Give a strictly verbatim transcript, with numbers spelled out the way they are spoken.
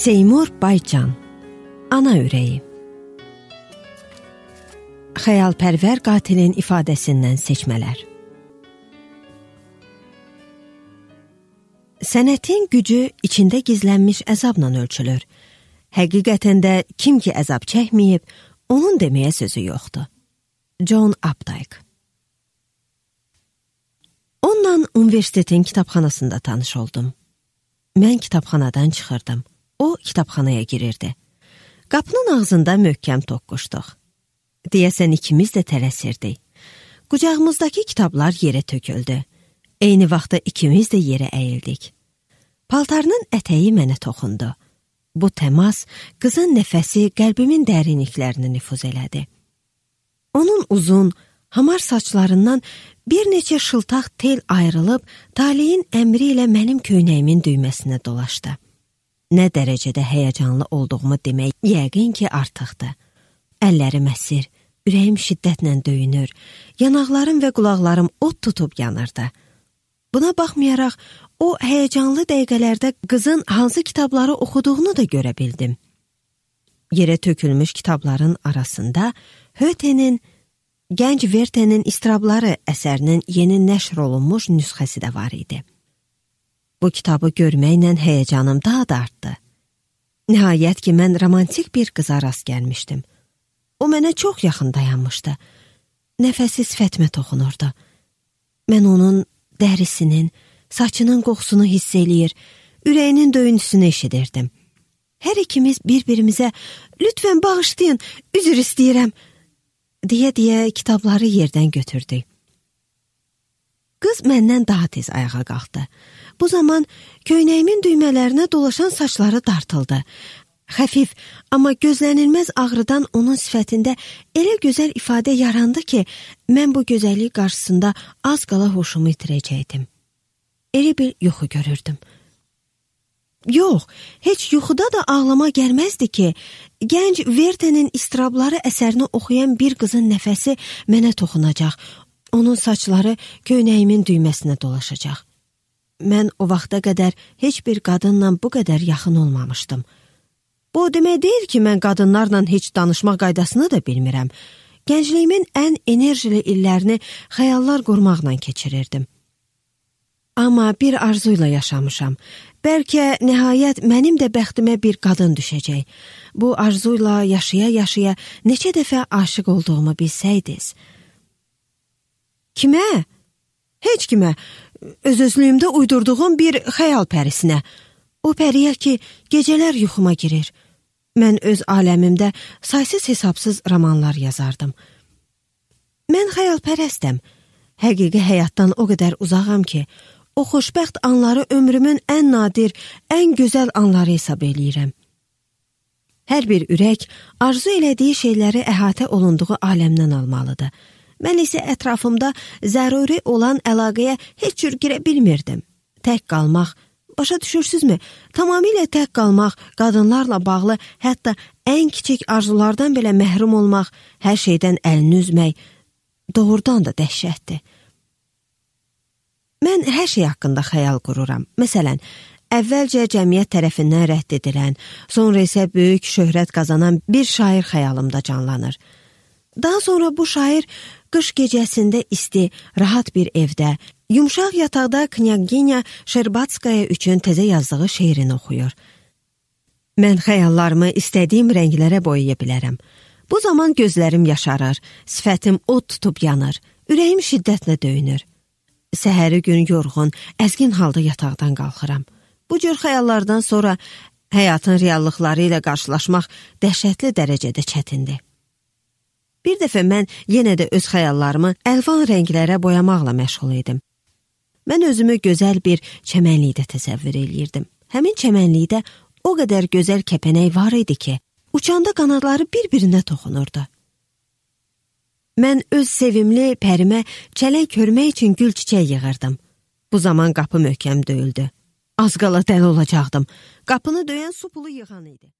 Seymur Baycan, Ana ürəyi. Xəyalpərvər qatilin ifadəsindən seçmələr. Sənətin gücü içində gizlənmiş əzabla ölçülür. Həqiqətən də kim ki əzab çəkməyib, onun deməyə sözü yoxdur. John Updike. Onunla universitetin kitabxanasında tanış oldum. Mən kitabxanadan çıxırdım. O kitabxanaya girirdi. Qapının ağzında möhkəm toqquşduq. Deyəsən ikimiz də tələsirdik. Qucağımızdakı kitablar yerə töküldü. Eyni vaxtda ikimiz də yerə əyildik. Paltarının ətəyi mənə toxundu. Bu təmas qızın nəfəsi qəlbimin dərinliklərini nüfuz elədi. Onun uzun, hamar saçlarından bir neçə şıltaq tel ayrılıb taleyin əmri ilə mənim köynəyimin düyməsinə dolaşdı. Nə dərəcədə həyəcanlı olduğumu demək yəqin ki artıqdır. Əllərim əsir, ürəyim şiddətlə döyünür, yanaqlarım və qulaqlarım od tutub yanırdı. Buna baxmayaraq, o həyəcanlı dəqiqələrdə qızın hansı kitabları oxuduğunu da görə bildim. Yerə tökülmüş kitabların arasında Hötenin Gənc Werther'in İstirabları əsərinin yeni nəşr olunmuş nüsxəsi də var idi. Bu kitabı görməklə həyəcanım daha da artdı. Nəhayət ki, mən romantik bir qıza rast gəlmişdim. O mənə çox yaxın dayanmışdı. Nəfəsi sifətimə toxunurdu. Mən onun dərisinin, saçının qoxusunu hiss eləyir, ürəyinin döyüntüsünü eşidirdim. Hər ikimiz bir-birimizə, lütfən bağışlayın, üzr istəyirəm, deyə-deyə kitabları yerdən götürdük. Qız məndən daha tez ayağa qalxdı. Bu zaman köynəyimin düymələrinə dolaşan saçları dartıldı. Xəfif, amma gözlənilməz ağrıdan onun sifətində elə gözəl ifadə yarandı ki, mən bu gözəllik qarşısında az qala hoşumu itirəcəkdim. Elə bir yuxu görürdüm. Yox, heç yuxuda da ağlama gəlməzdi ki, Gənc Werther'in İstirabları əsərini oxuyan bir qızın nəfəsi mənə toxunacaq, onun saçları köynəyimin düyməsinə dolaşacaq. Mən o vaxta qədər heç bir qadınla bu qədər yaxın olmamışdım. Bu demək deyil ki, mən qadınlarla heç danışmaq qaydasını da bilmirəm. Gəncliyimin ən enerjili illərini xəyallar qurmaqla keçirirdim. Amma bir arzuyla yaşamışam. Bəlkə nəhayət mənim də bəxtimə bir qadın düşəcək. Bu arzuyla yaşaya-yaşaya neçə dəfə aşiq olduğumu bilsəydiniz. Kimə? Heç kimə. Öz-özlüyümdə uydurduğum bir xəyal pərisinə. O pəriyə ki, gecələr yuxuma girir. Mən öz aləmimdə saysız-hesabsız romanlar yazardım. Mən xəyalpərəstəm. Həqiqi həyatdan o qədər uzağam ki, o xoşbəxt anları ömrümün ən nadir, ən gözəl anları hesab eləyirəm. Hər bir ürək arzu elədiyi şeyləri əhatə olunduğu aləmdən almalıdır. Mən isə ətrafımda zəruri olan əlaqəyə heç cür girə bilmirdim. Tək qalmaq, başa düşürsünüzmü? Tamamilə tək qalmaq, qadınlarla bağlı, hətta ən kiçik arzulardan belə məhrum olmaq, hər şeydən əlini üzmək, doğrudan da dəhşətdir. Mən hər şey haqqında xəyal qururam. Məsələn, əvvəlcə cəmiyyət tərəfindən rədd edilən, sonra isə böyük şöhrət qazanan bir şair xəyalımda canlanır. Daha sonra bu şair qış gecəsində isti, rahat bir evdə, yumşaq yataqda Knyaginya Şerbatskaya üçün təzə yazdığı şeirini oxuyur. Mən xəyallarımı istədiyim rənglərə boyaya bilərəm. Bu zaman gözlərim yaşarır, sifətim od tutub yanır, ürəyim şiddətlə döyünür. Səhəri gün yorğun, əzgin halda yataqdan qalxıram. Bu cür xəyallardan sonra həyatın reallıqları ilə qarşılaşmaq dəhşətli dərəcədə çətindir. Bir dəfə mən yenə də öz xəyallarımı əlvan rənglərə boyamaqla məşğul idim. Mən özümü gözəl bir çəmənlikdə təsəvvür eləyirdim. Həmin çəmənlikdə o qədər gözəl kəpənək var idi ki, uçanda qanadları bir-birinə toxunurdu. Mən öz sevimli pərimə çələng hörmək üçün gül çiçək yığırdım. Bu zaman qapı möhkəm döyüldü. Az qala dəli olacaqdım. Qapını döyən su pulu yığan idi.